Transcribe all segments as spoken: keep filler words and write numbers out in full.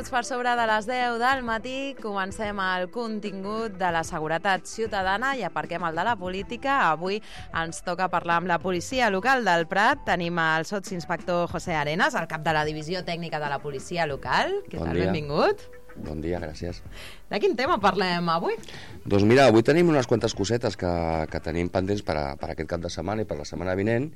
minuts per sobre de les deu del matí comencem el contingut de la seguretat ciutadana i aparquem el de la política. Avui ens toca parlar amb la policia local del Prat. Tenim el sotsinspector José Arenas, el cap de la divisió tècnica de la policia local. Què tal? Benvingut. Bon dia, gràcies. De quin tema parlem avui? Doncs mira, avui tenim unes quantes cosetes que, que tenim pendents per, a, per aquest cap de setmana i per la setmana vinent,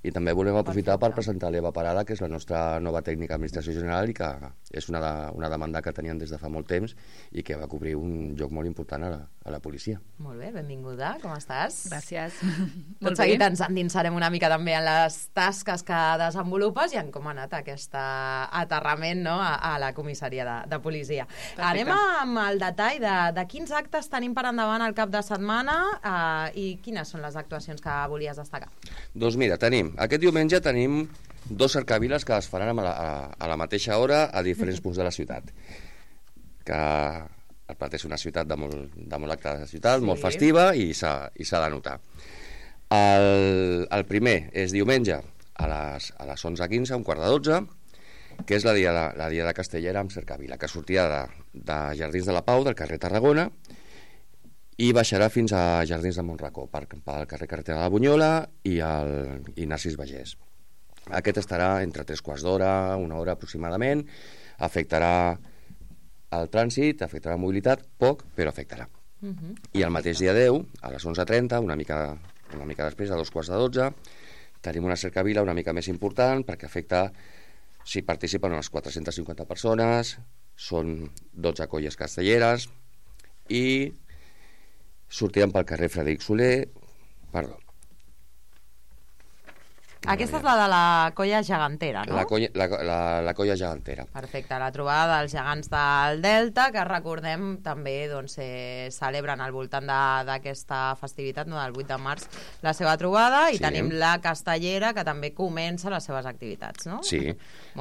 i també volem aprofitar Perfecte. per presentar l'Eva Parada, que és la nostra nova tècnica d'administració general i que és una, de, una demanda que tenien des de fa molt temps i que va cobrir un lloc molt important a la, a la policia. Molt bé, benvinguda, com estàs? Gràcies. Tot seguit ens endinsarem una mica també en les tasques que desenvolupes i en com ha anat aquest aterrament, no?, a, a la comissaria de, de policia. Perfecte. Anem amb el detall de, de quins actes tenim per endavant el cap de setmana eh, i quines són les actuacions que volies destacar. Doncs mira, tenim, aquest diumenge tenim dos cercaviles que es faran a la, a, a la mateixa hora a diferents punts de la ciutat. Que el Prat és una ciutat de molt, de molt acte de ciutat, sí. molt festiva i s'ha de notar. El, el primer és diumenge a les, a les onze quinze, un quart de dotze, que és la dia de, la dia de Castellera amb cercavila, que sortirà de, de Jardins de la Pau, del carrer Tarragona, i baixarà fins a Jardins de Montracó, per, pel carrer Carretera de la Bunyola i, el, i Narcís Bagés. Aquest estarà entre tres quarts d'hora, una hora aproximadament, afectarà el trànsit, afectarà la mobilitat, poc, però afectarà. Uh-huh. I el mateix dia deu, a les onze trenta, una mica, una mica després, a dos quarts de dotze, tenim una cercavila una mica més important perquè afecta, si participen unes quatre-centes cinquanta persones, són dotze colles castelleres i sortirem pel carrer Frederic Soler, perdó. Aquesta és la de la colla gegantera, no? La colla, la, la, la colla gegantera. Perfecte, la trobada dels gegants del Delta, que recordem també doncs, eh, celebren al voltant d'aquesta festivitat, no, del vuit de març, la seva trobada, i sí. tenim la castellera, que també comença les seves activitats, no? Sí,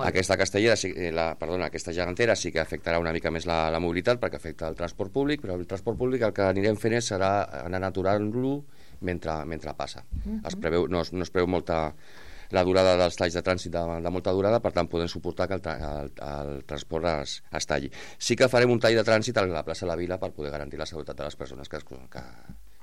aquesta castellera, la, perdona, aquesta gegantera sí que afectarà una mica més la, la mobilitat, perquè afecta el transport públic, però el transport públic el que anirem fent és serà anar aturant-lo mentre, mentre passa. Uh-huh. es preveu, no, no es preveu molta la durada dels talls de trànsit de, de molta durada, per tant podem suportar que el, el, el transport es, es talli. Sí que farem un tall de trànsit a la plaça de la Vila per poder garantir la seguretat de les persones que es, que,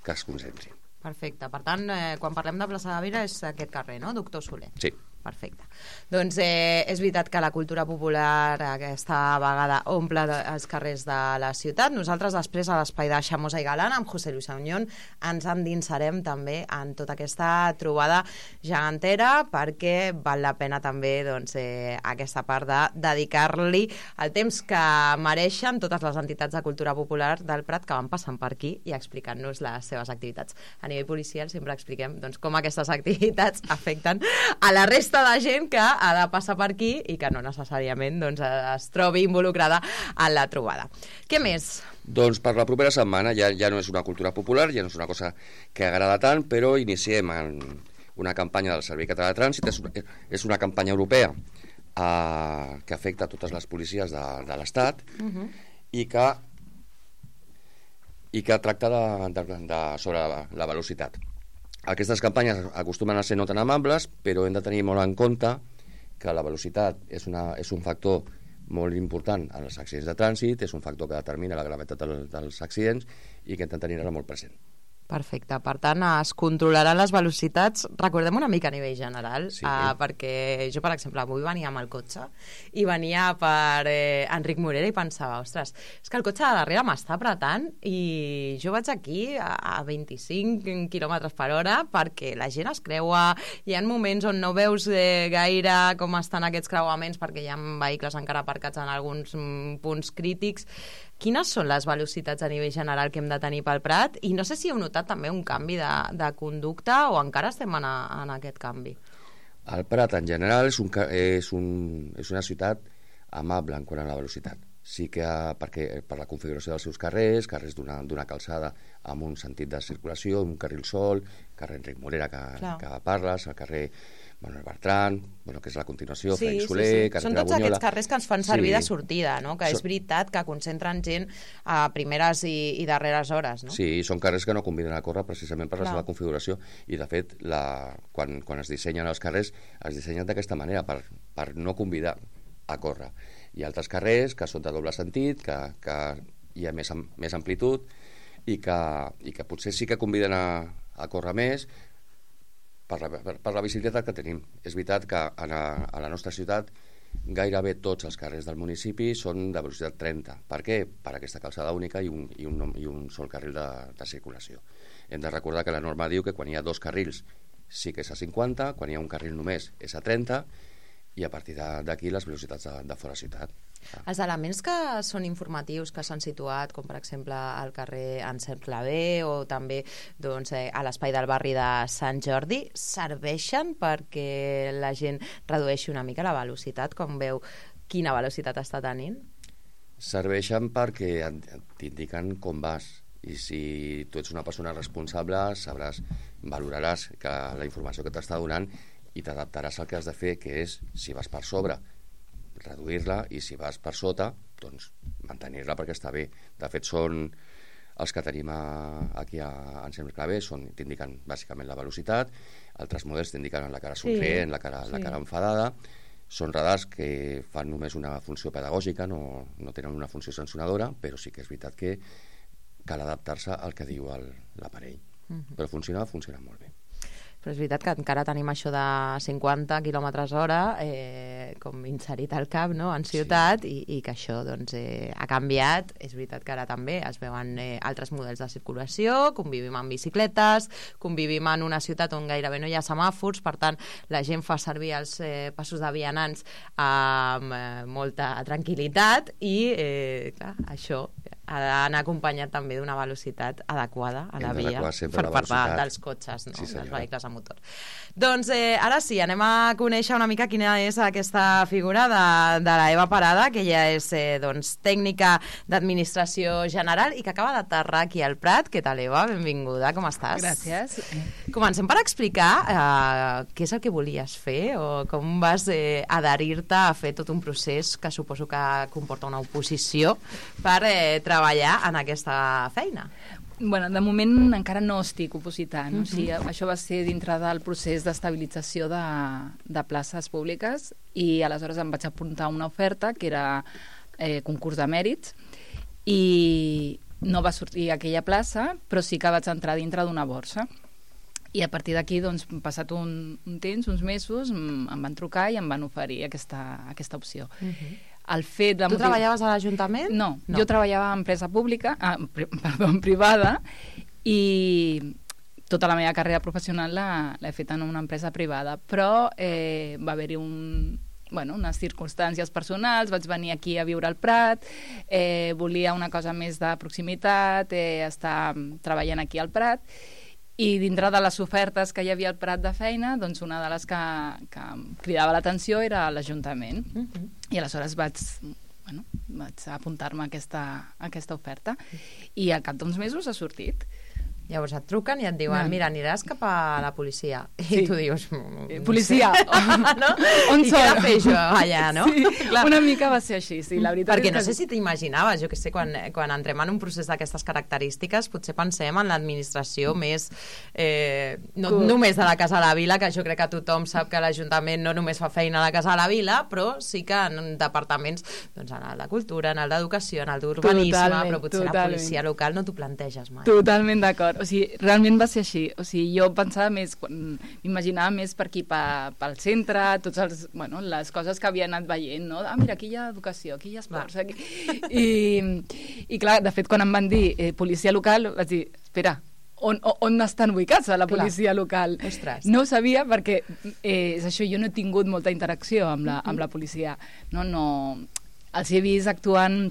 que es concentrin. Perfecte, per tant, eh, quan parlem de plaça de la Vila és aquest carrer, no? Doctor Soler. Sí. Perfecte. Doncs eh, és veritat que la cultura popular aquesta vegada omple els carrers de la ciutat. Nosaltres després a l'espai de Xamosa i Galant amb José Luis Auñón ens endinsarem també en tota aquesta trobada gegantera perquè val la pena també doncs, eh, aquesta part de dedicar-li el temps que mereixen totes les entitats de cultura popular del Prat que van passant per aquí i explicant-nos les seves activitats. A nivell policial sempre expliquem doncs, com aquestes activitats afecten a la resta de gent que ha de passar per aquí i que no necessàriament doncs, es trobi involucrada en la trobada. Què més? Doncs per la propera setmana ja, ja no és una cultura popular, ja no és una cosa que agrada tant, però iniciem en una campanya del Servei Català de Trànsit, és una, és una campanya europea eh, que afecta a totes les policies de, de l'Estat uh-huh. i que i que tracta de, de, de, sobre la, la velocitat. Aquestes campanyes acostumen a ser no tan amables, però hem de tenir molt en compte que la velocitat és, una, és un factor molt important en els accidents de trànsit, és un factor que determina la gravetat del, dels accidents i que hem de tenir-la molt present. Perfecte, per tant es controlaran les velocitats, recordem una mica a nivell general, sí. uh, perquè jo per exemple avui venia amb el cotxe i venia per eh, Enric Morera i pensava, ostres, és que el cotxe de darrere m'està apretant i jo vaig aquí a, a vint-i-cinc quilòmetres per hora perquè la gent es creua, hi ha moments on no veus eh, gaire com estan aquests creuaments perquè hi ha vehicles encara aparcats en alguns mm, punts crítics. Quines són les velocitats a nivell general que hem de tenir pel Prat? I no sé si heu notat també un canvi de, de conducta o encara estem en, a, en aquest canvi. El Prat en general és, un, és, un, és una ciutat amable en quant a la velocitat. Sí que perquè, per la configuració dels seus carrers, carrers d'una calçada amb un sentit de circulació, un carril sol, carrer Enric Morera que, que parles, el carrer Manuel Bertran, bueno, que és la continuació, sí, Frederic Soler, sí, sí. carrer Són tots Bunyola. Aquests carrers que ens fan servir sí. de sortida, no? Que és són... veritat que concentren gent a primeres i, i darreres hores, no? Sí, són carrers que no conviden a córrer precisament per la Clar. seva configuració i de fet la, quan, quan es dissenyen els carrers es dissenyen d'aquesta manera per, per no convidar a córrer. Hi ha altres carrers que són de doble sentit, que, que hi ha més, més amplitud i que, i que potser sí que conviden a, a córrer més per la, per, per la visibilitat que tenim. És veritat que a, a la nostra ciutat gairebé tots els carrers del municipi són de velocitat trenta. Per què? Per aquesta calçada única i un, i un, i un sol carril de, de circulació. Hem de recordar que la norma diu que quan hi ha dos carrils sí que és a cinquanta, quan hi ha un carril només és a trenta, i a partir d'aquí les velocitats de, de fora ciutat. Ah. Els elements que són informatius, que s'han situat, com per exemple al carrer Anselm Clavé o també doncs, eh, a l'espai del barri de Sant Jordi, serveixen perquè la gent redueixi una mica la velocitat, com veu quina velocitat està tenint? Serveixen perquè t'indiquen com vas, i si tu ets una persona responsable sabràs, valoraràs que la informació que t'està donant i t'adaptaràs al que has de fer, que és, si vas per sobre, reduir-la, i si vas per sota, doncs mantenir-la perquè està bé. De fet, són els que tenim a, aquí a Anselm Clavé, t'indiquen bàsicament la velocitat, altres models t'indiquen la cara somrient, sí, la, cara, sí. la cara enfadada. Són radars que fan només una funció pedagògica, no, no tenen una funció sancionadora, però sí que és veritat que cal adaptar-se al que diu l'aparell. Uh-huh. Però funciona, funciona molt bé. Però és veritat que encara tenim això de cinquanta quilòmetres hora eh, com inserit al cap, no?, en ciutat, sí. i, i que això doncs, eh, ha canviat. És veritat que ara també es veuen eh, altres models de circulació, convivim amb bicicletes, convivim en una ciutat on gairebé no hi ha semàfors, per tant la gent fa servir els eh, passos de vianants amb eh, molta tranquil·litat i eh, clar, això ha d'anar acompanyat també d'una velocitat adequada a la via per part dels cotxes, no? Sí, dels vehicles a motor. Doncs eh, ara sí, anem a conèixer una mica quina és aquesta figura de, de la Eva Parada, que ella és eh, doncs, tècnica d'administració general i que acaba d'aterrar aquí al Prat. Què tal, Eva? Benvinguda, com estàs? Gràcies. Comencem per explicar eh, què és el que volies fer o com vas eh, adherir-te a fer tot un procés que suposo que comporta una oposició per eh, treballar en aquesta feina. Bueno, de moment encara no estic opositant. Uh-huh. O sigui, això va ser dintre del procés d'estabilització de, de places públiques i aleshores em vaig apuntar a una oferta que era eh, concurs de mèrits i no va sortir aquella plaça, però sí que vaig entrar dintre d'una borsa. I a partir d'aquí, doncs, passat un, un temps, uns mesos, em, em van trucar i em van oferir aquesta, aquesta opció. Uh-huh. El fet de tu motiv... treballaves a l'Ajuntament? No, no, jo treballava en empresa pública, ah, pri, perdó, en privada, i tota la meva carrera professional l'he fet en una empresa privada, però eh, va haver-hi un, bueno, unes circumstàncies personals, vaig venir aquí a viure al Prat, eh, volia una cosa més de proximitat, eh, estar treballant aquí al Prat, i dintre de les ofertes que hi havia al Prat de feina, doncs una de les que, que cridava l'atenció era l'Ajuntament. Uh-huh. I aleshores vaig, bueno, vaig apuntar-me a aquesta, a aquesta oferta i al cap d'uns mesos ha sortit. Llavors et truquen i et diuen, mira, aniràs cap a la policia. I sí. tu dius... No policia! no? On I què he de fer jo allà, no? Sí, clar. Una mica va ser així, sí. La veritat Perquè és que... no sé si t'imaginaves, jo que sé, quan, quan entrem en un procés d'aquestes característiques, potser pensem en l'administració més... Eh, no Curt. només de la Casa de la Vila, que jo crec que tothom sap que l'Ajuntament no només fa feina a la Casa de la Vila, però sí que en departaments, doncs en el de Cultura, en el d'Educació, en el d'Urbanisme, però potser totalment. La policia local no t'ho planteges mai. Totalment d'acord. O sigui, realment va ser així. O sigui, jo pensava més, m'imaginava més per aquí, per, pel centre, tots els, bueno, les coses que havia anat veient, no? Ah, mira, aquí hi ha educació, aquí hi ha esports, aquí... I, i clar, de fet, quan em van dir eh, policia local, vaig dir, espera, on, on estan ubicats a la policia clar. local? Ostres. No ho sabia perquè, eh, és això, jo no he tingut molta interacció amb la, amb la policia. No, no... Els he vist actuant,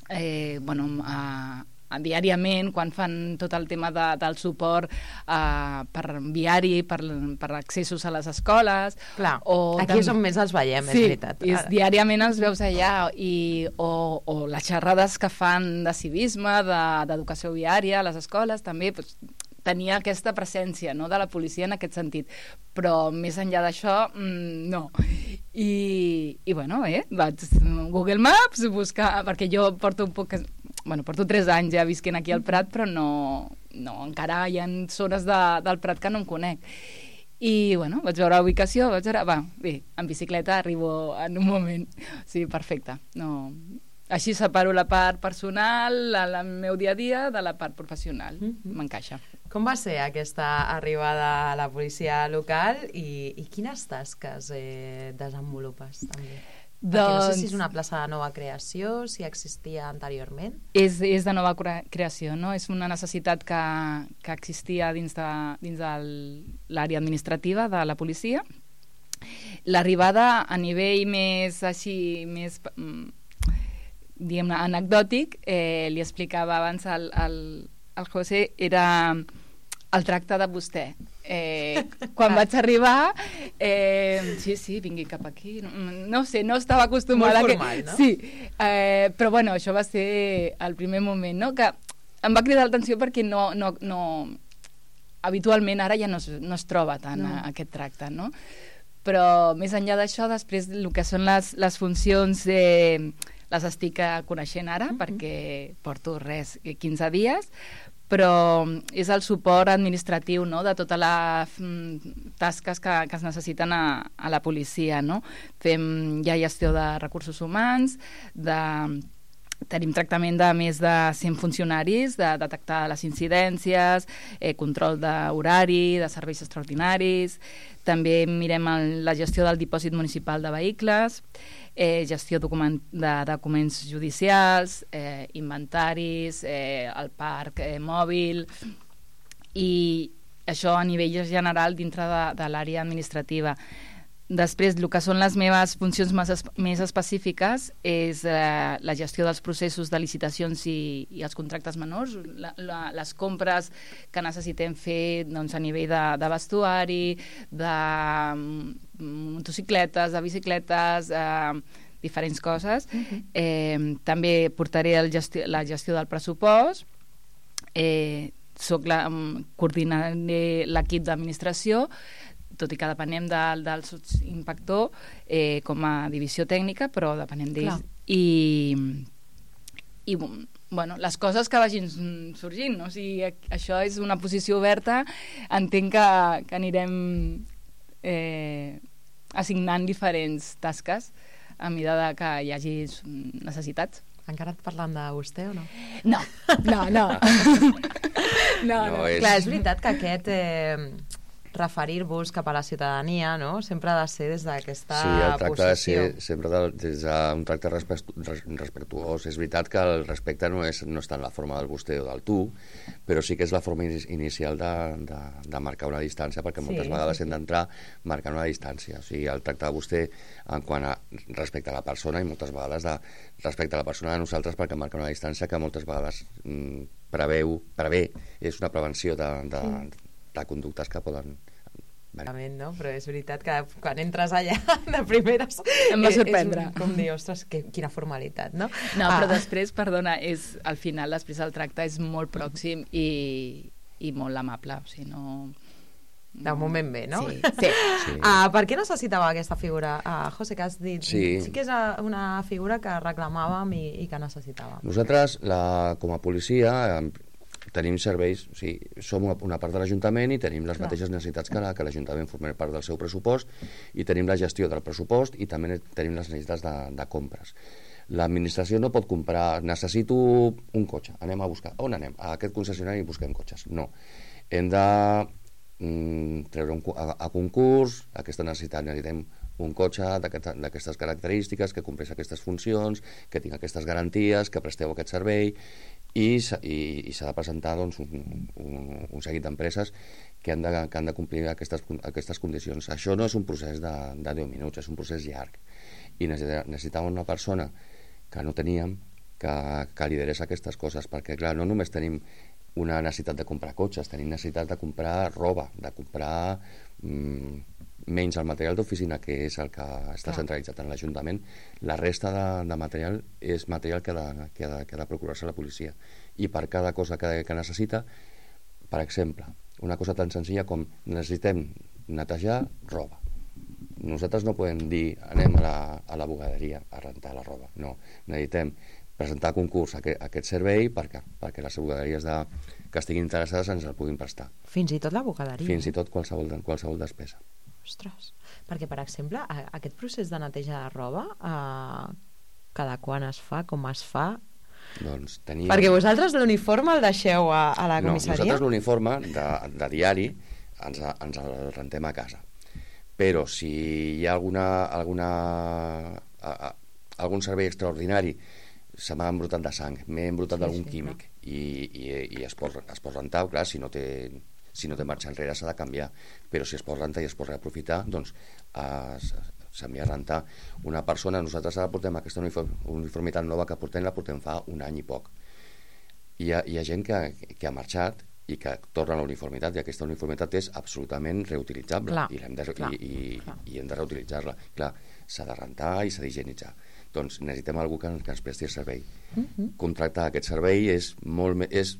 eh, bueno, a... diàriament, quan fan tot el tema de, del suport uh, per viari, per, per accessos a les escoles. Clar, o aquí és on més els veiem, sí, és veritat. Sí, diàriament els veus allà, i, o, o les xerrades que fan de civisme, d'educació de, viària a les escoles, també pues, tenia aquesta presència, no?, de la policia en aquest sentit. Però més enllà d'això, mmm, no. I, i bueno, eh, vaig Google Maps, buscar, perquè jo porto un poc... Bueno, porto tres anys ja visquent aquí al Prat, però no, no encara hi ha zones de, del Prat que no em conec. I, bueno, vaig veure la ubicació, vaig veure... Va, bé, en bicicleta arribo en un moment. Sí, perfecte. No... Així separo la part personal, el meu dia a dia, de la part professional. Mm-hmm. M'encaixa. Com va ser aquesta arribada a la policia local i, i quines tasques eh, desenvolupes també? Perquè doncs... no sé si és una plaça de nova creació, si existia anteriorment. És, és de nova creació, no? És una necessitat que, que existia dins de, dins de l'àrea administrativa de la policia. L'arribada a nivell més així, més... diguem-ne, anecdòtic, eh, li explicava abans al, al, al José, era el tracte de vostè. Eh, quan vaig arribar, eh, sí, sí, vingui cap aquí, no, no sé, no estava acostumada... Molt formal, que, no? Sí, eh, però bueno, això va ser el primer moment, no?, que em va cridar l'atenció perquè no, no, no, habitualment ara ja no es, no es troba tant no. a, aquest tracte, no? Però més enllà d'això, després el que són les, les funcions... Eh, les estic coneixent ara, mm-hmm. perquè porto res, quinze dies, però és el suport administratiu, no?, de totes les tasques que, que es necessiten a, a la policia, no? Fem ja gestió de recursos humans, de... tenim tractament de més de cent funcionaris, de detectar les incidències, eh, control d'horari, de serveis extraordinaris, també mirem el, la gestió del dipòsit municipal de vehicles, eh, gestió document, de documents judicials, eh, inventaris, eh, el parc eh, mòbil, i això a nivell general dintre de, de l'àrea administrativa. Després, el que són les meves funcions més, es, més específiques és eh, la gestió dels processos de licitacions i, i els contractes menors, la, la, les compres que necessitem fer doncs, a nivell de, de vestuari, de motocicletes, de bicicletes, eh, diferents coses. Uh-huh. eh, també portaré el gesti la gestió del pressupost, eh, soc la, coordinaré l'equip d'administració, tot i que depenem de, del sotsinspector eh, com a divisió tècnica, però depenem d'ells. I, i bueno, les coses que vagin sorgint, no? O sigui, això és una posició oberta, entenc que, que anirem eh, assignant diferents tasques a mesura de que hi hagi necessitats. Encara et parlant de vostè o no? No, no, no. no, no. no és... Clar, és veritat que aquest... Eh... referir-vos cap a la ciutadania, no? Sempre ha de ser des d'aquesta posició. Sí, el tracte ha de ser sempre de, des d'un tracte respectuós. És veritat que el respecte no, és, no està en la forma del vostè o del tu, però sí que és la forma inicial de, de, de marcar una distància, perquè moltes sí, vegades sí, hem d'entrar marcant una distància. O sigui, el tracte de vostè en quant a respecte a la persona i moltes vegades de respecte a la persona de nosaltres, perquè marca una distància que moltes vegades mm, preveu, prevé, és una prevenció de, de, sí. de conductes que poden... No? Però és veritat que quan entres allà de primeres em va sorprendre. És un, com dir, ostres, que, quina formalitat, no? No, ah. però després, perdona, és, al final després el tracte és molt pròxim i, i molt amable, o sigui, no... De moment bé, no? Sí. sí. sí. Ah, per què necessitava aquesta figura? Ah, José, que has dit, sí. sí que és una figura que reclamàvem i, i que necessitàvem. Nosaltres, la, com a policia... tenim serveis, o sigui, som una part de l'Ajuntament i tenim les Clar. mateixes necessitats que, la, que l'Ajuntament formem part del seu pressupost i tenim la gestió del pressupost i també tenim les necessitats de, de compres. L'administració no pot comprar, necessito un cotxe, anem a buscar, on anem? A aquest concessionari i busquem cotxes. No. Hem de mm, treure un, a, a concurs, aquesta necessitat, necessitem un cotxe d'aquestes característiques, que compleix aquestes funcions, que tingui aquestes garanties, que presteu aquest servei, i, i, i s'ha de presentar doncs, un, un, un seguit d'empreses que, han de, que han de complir aquestes, aquestes condicions. Això no és un procés de, de deu minuts, és un procés llarg. I necessitàvem una persona que no teníem, que, que liderés aquestes coses, perquè clar, no només tenim una necessitat de comprar cotxes, tenim necessitat de comprar roba, de comprar mm, menys el material d'oficina, que és el que està centralitzat en l'Ajuntament. La resta de, de material és material que ha de, que ha de, que ha de procurar-se la policia. I per cada cosa que, que necessita, per exemple, una cosa tan senzilla com necessitem netejar roba. Nosaltres no podem dir anem a la, a la bugaderia a rentar la roba. No, necessitem presentar a concurs aquest, aquest servei perquè, perquè les bugaderies de, que estiguin interessades ens el puguin prestar. Fins i tot la bugaderia. Fins i tot qualsevol, qualsevol despesa. Ostres, perquè, per exemple, aquest procés de neteja de roba, eh, cada quan es fa, com es fa? Doncs teníem... Perquè vosaltres l'uniforme el deixeu a, a la comissaria? No, nosaltres l'uniforme de, de diari ens, ens el rentem a casa. Però si hi ha alguna, alguna, a, a, algun servei extraordinari, se m'ha embrutat de sang, m'he embrutat sí, d'algun sí, químic no? i, i, i es, pot, es pot rentar, clar, si no té... si no té marxa enrere s'ha de canviar, però si es pot rentar i es pot reaprofitar, doncs es, s'envia a rentar. Una persona, nosaltres ara portem aquesta uniformitat nova que portem, la portem fa un any i poc. Hi ha, hi ha gent que, que ha marxat i que torna a la uniformitat, i aquesta uniformitat és absolutament reutilitzable, clar, i, hem de, clar, i, i, clar. i hem de reutilitzar-la. Clar, s'ha de rentar i s'ha d'higienitzar. Doncs necessitem algú que, que ens presti el servei. Uh-huh. Contractar aquest servei és molt és,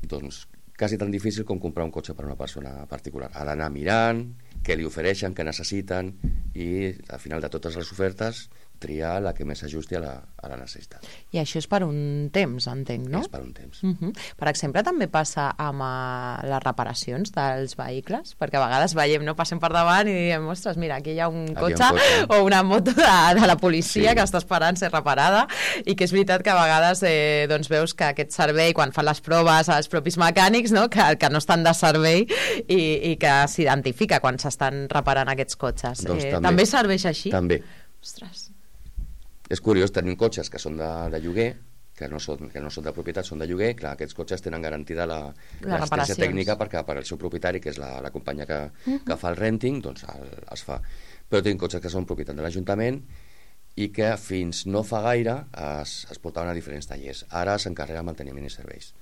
doncs, quasi tan difícil com comprar un cotxe per a una persona particular. Ha d'anar mirant què li ofereixen, què necessiten, i al final de totes les ofertes triar la que més s'ajusti a, la, a la necessitat. I això és per un temps, entenc, no? És per un temps. Uh-huh. Per exemple, també passa amb uh, les reparacions dels vehicles, perquè a vegades veiem, no, passem per davant i diem, ostres, mira, aquí hi ha un, cotxe, un cotxe o una moto de, de la policia sí. que està esperant ser reparada, i que és veritat que a vegades eh, doncs veus que aquest servei, quan fan les proves als propis mecànics, no, que, que no estan de servei i, i que s'identifica quan s'estan reparant aquests cotxes. Doncs eh, també, també serveix així? També. Ostres. És curiós, tenim cotxes que són de, de lloguer, que no, són, que no són de propietat, són de lloguer. Clar, aquests cotxes tenen garantida la, l'assistència tècnica perquè per al seu propietari, que és la, la companyia que, uh-huh. que fa el renting, doncs el, es fa. Però tenim cotxes que són propietat de l'Ajuntament i que fins no fa gaire es, es portaven a diferents tallers. Ara s'encarrega manteniment i serveis.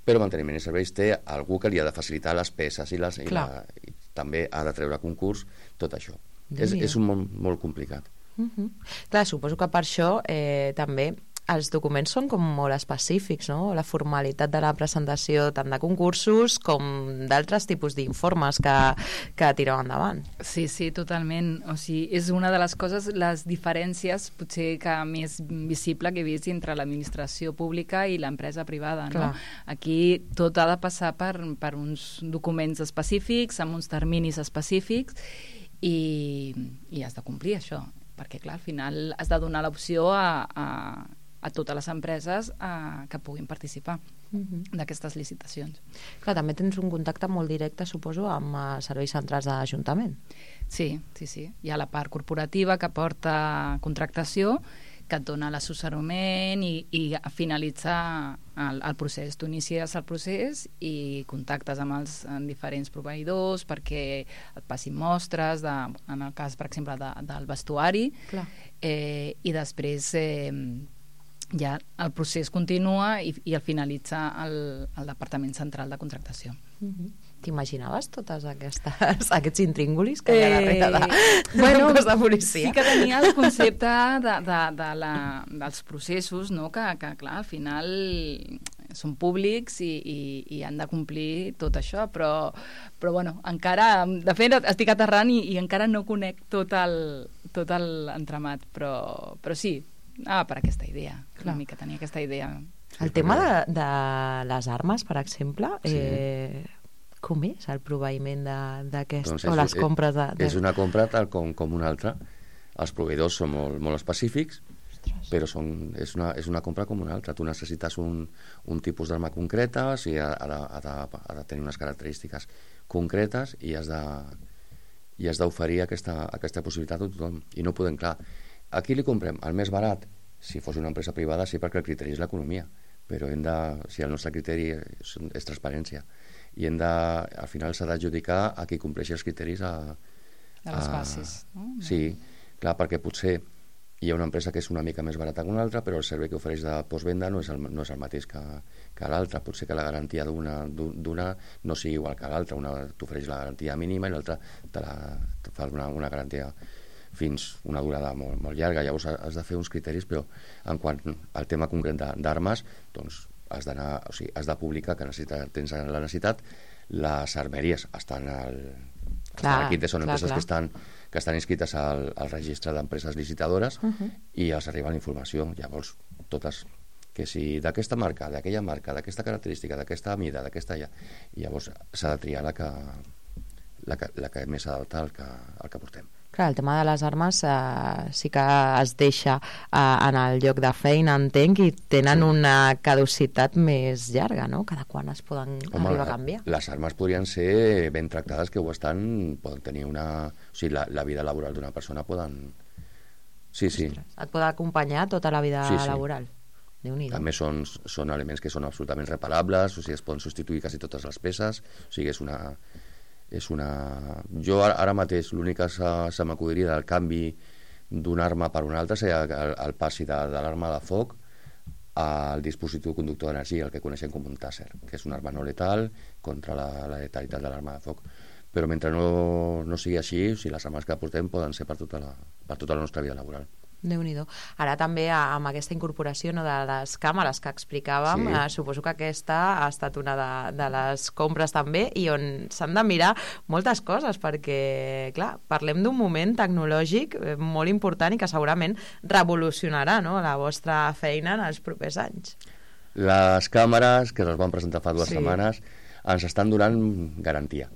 Però manteniment i serveis té algú que li ha de facilitar les peces i, les, i, la, i també ha de treure a concurs tot això. És, és un món molt complicat. Uh-huh. Clar, suposo que per això eh, també els documents són com molt específics, no? La formalitat de la presentació tant de concursos com d'altres tipus d'informes que, que tireu endavant. Sí, sí, totalment. O sigui, és una de les coses, les diferències potser que més visible que he vist entre l'administració pública i l'empresa privada, no? Aquí tot ha de passar per, per uns documents específics, amb uns terminis específics, i, i has de complir això, perquè clar, al final has de donar l'opció a, a, a totes les empreses a, que puguin participar uh-huh. d'aquestes licitacions. Clar, també tens un contacte molt directe, suposo, amb uh, serveis centrals de l'Ajuntament. Sí, sí, sí. Hi ha la part corporativa que porta contractació, que et dona l'assessorament i, i finalitzar el, el procés. Tu inicies el procés i contactes amb els amb diferents proveïdors perquè et passin mostres, de, en el cas, per exemple, de, del vestuari, eh, i després eh, ja el procés continua i, i el finalitza el, el Departament Central de Contractació. Uh-huh. T'imaginaves totes aquestes, aquests intríngulis que hi ha darrere de, de bueno, un cos de policia? Sí que tenia el concepte de, de, de la, dels processos, no? que, que clar, al final són públics i, i, i han de complir tot això, però, però bueno, encara, de fet estic aterrant i, i encara no conec tot el, tot l'entramat, però, però sí, ah, per aquesta idea, clar. Una mica tenia aquesta idea. El tema de, de les armes, per exemple, sí. eh, com és el proveïment d'aquest, doncs o les compres de, de... És una compra tal com, com una altra. Els proveïdors són molt, molt específics, Ostres. Però són, és, una, és una compra com una altra. Tu necessites un, un tipus d'arma concreta, o sigui, ha, ha, ha, de, ha de tenir unes característiques concretes i has de, i has d'oferir aquesta, aquesta possibilitat a tothom. I no podem, clar, aquí li comprem el més barat, si fos una empresa privada sí, perquè el criteri és l'economia, però hem de, si el nostre criteri és, és transparència, i hem de, al final s'ha d'adjudicar a qui compleixi els criteris a, de les bases, no? Sí, clar, perquè potser hi ha una empresa que és una mica més barata que una altra, però el servei que ofereix de postvenda no és el, no és el mateix que, que l'altra. Potser que la garantia d'una, d'una no sigui igual que l'altra. Una t'ofereix la garantia mínima i l'altra te, la, te fa una, una garantia fins una durada molt, molt llarga. Llavors has de fer uns criteris, però en quant al tema concret d'armes, doncs has d'anar, o sigui, has de publicar que necessita, tens la necessitat. Les armeries estan al clar, aquí són clar, empreses clar. que estan que estan inscrites al, al registre d'empreses licitadores uh-huh. i els arriba la informació. Llavors totes que si d'aquesta marca, d'aquella marca, d'aquesta característica, d'aquesta mida, d'aquesta allà, i llavors s'ha de triar la que, la que, la que més s'adapta al que, al que portem. Clar, el tema de les armes eh, sí que es deixa eh, en el lloc de feina, entenc, i tenen sí. una caducitat més llarga, no? Cada quan es poden Home, arribar a canviar. Les armes podrien ser ben tractades, que ho estan, poden tenir una... O sigui, la, la vida laboral d'una persona poden... Sí, sí. Ostres, et pot acompanyar tota la vida sí, sí. laboral. Déu-n'hi-do. També són, són elements que són absolutament reparables, o sigui, es poden substituir quasi totes les peces, o sigui, és una... És una... Jo ara, ara mateix l'únic que se, se m'acudiria del canvi d'una arma per una altra seria el, el passi de, de l'arma de foc al dispositiu conductor d'energia, el que coneixem com un tàser, que és una arma no letal contra la, la letalitat de l'arma de foc. Però mentre no, no sigui així, o sigui, les armes que portem poden ser per tota la, per tota la nostra vida laboral. Déu-n'hi-do. Ara també amb aquesta incorporació, no, de les càmeres que explicàvem, sí. eh, suposo que aquesta ha estat una de, de les compres també, i on s'han de mirar moltes coses, perquè, clar, parlem d'un moment tecnològic molt important i que segurament revolucionarà, no, la vostra feina en els propers anys. Les càmeres, que les van presentar fa dues sí. setmanes, ens estan donant garantia.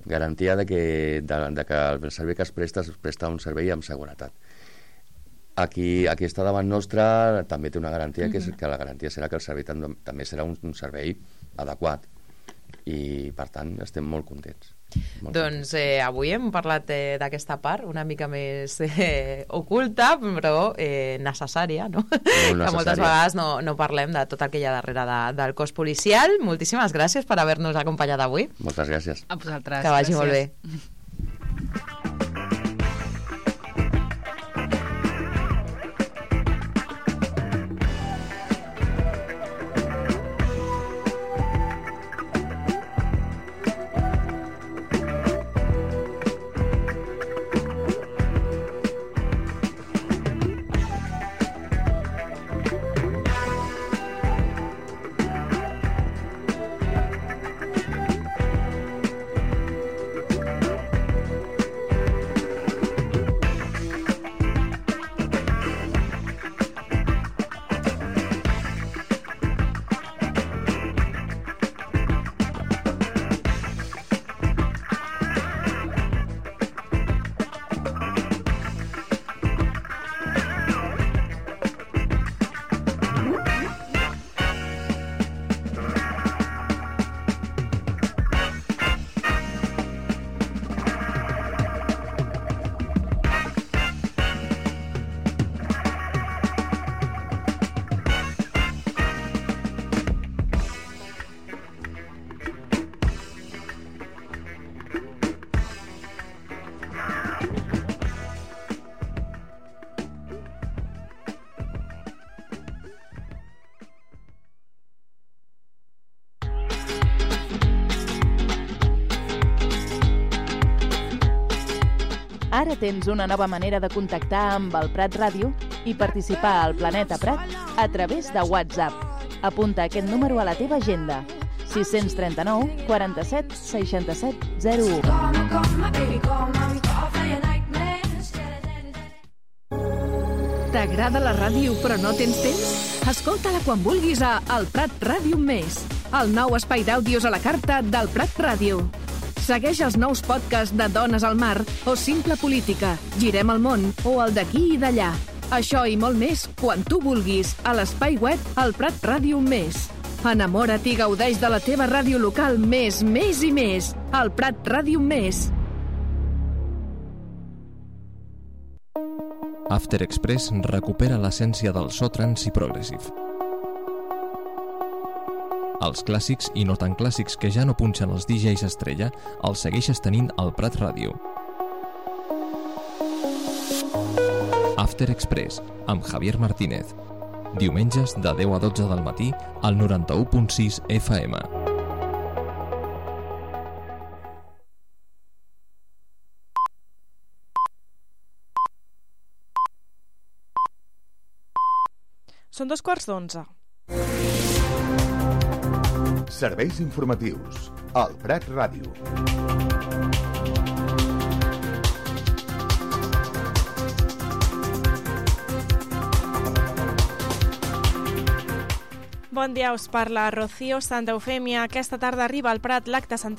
Garantia de que, de, de que el servei que es presta es presta un servei amb seguretat. Aquí, aquí està davant nostra, també té una garantia, que, és, que la garantia serà que el servei també serà un, un servei adequat, i per tant estem molt contents. Molt doncs eh, avui hem parlat eh, d'aquesta part una mica més eh, oculta, però eh, necessària, no? Que moltes vegades no, no parlem de tot el que hi ha darrere de, del cos policial. Moltíssimes gràcies per haver-nos acompanyat avui. Moltes gràcies. A vosaltres. Que vagi gràcies. molt bé. Ara tens una nova manera de contactar amb el Prat Ràdio i participar al Planeta Prat a través de WhatsApp. Apunta aquest número a la teva agenda. sis tres nou, quaranta-set, seixanta-set, zero u. T'agrada la ràdio però no tens temps? Escolta-la quan vulguis a El Prat Ràdio Més, el nou espai d'àudios a la carta del Prat Ràdio. Segueix els nous podcasts de Dones al Mar o Simple Política, Girem el món o el d'aquí i d'allà. Això i molt més quan tu vulguis a l'espai web El Prat Ràdio Més. Enamora't i gaudeix de la teva ràdio local més, més i més. El Prat Ràdio Més. After Express recupera l'essència del so trance i progressive. Els clàssics i no tan clàssics que ja no punxen els D Js estrella els segueixes tenint al Prat Ràdio. After Express, amb Javier Martínez. Diumenges de deu a dotze del matí al noranta-u punt sis F M. Són dos quarts d'onze. Serveis informatius al Prat Ràdio. Bon dia, us parla Rocío Santa Eufèmia. Aquesta tarda arriba al Prat l'acte central